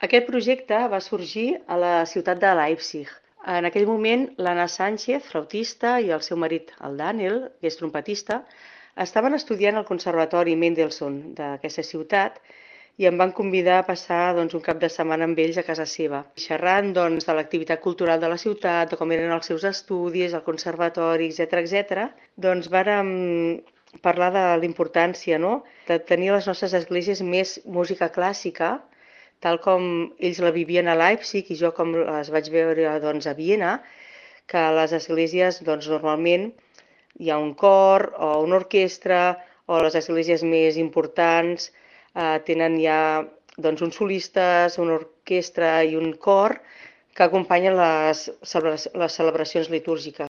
Aquest projecte va sorgir a la ciutat de Leipzig. En aquell moment, l'Anna Sánchez, flautista, i el seu marit, el Daniel, que és trompetista, estaven estudiant al Conservatori Mendelssohn d'aquesta ciutat i em van convidar a passar un cap de setmana amb ells a casa seva, xerrant de l'activitat cultural de la ciutat, de com eren els seus estudis, el conservatori, etc. Doncs vàrem parlar de la importància, no?, de tenir a les nostres esglésies més música clàssica, tal com ells la vivien a Leipzig i jo com les vaig veure a Viena, que a les esglésies normalment hi ha un cor o una orquestra, o les esglésies més importants tenen ja uns solistes, una orquestra i un cor que acompanyen les celebracions litúrgiques.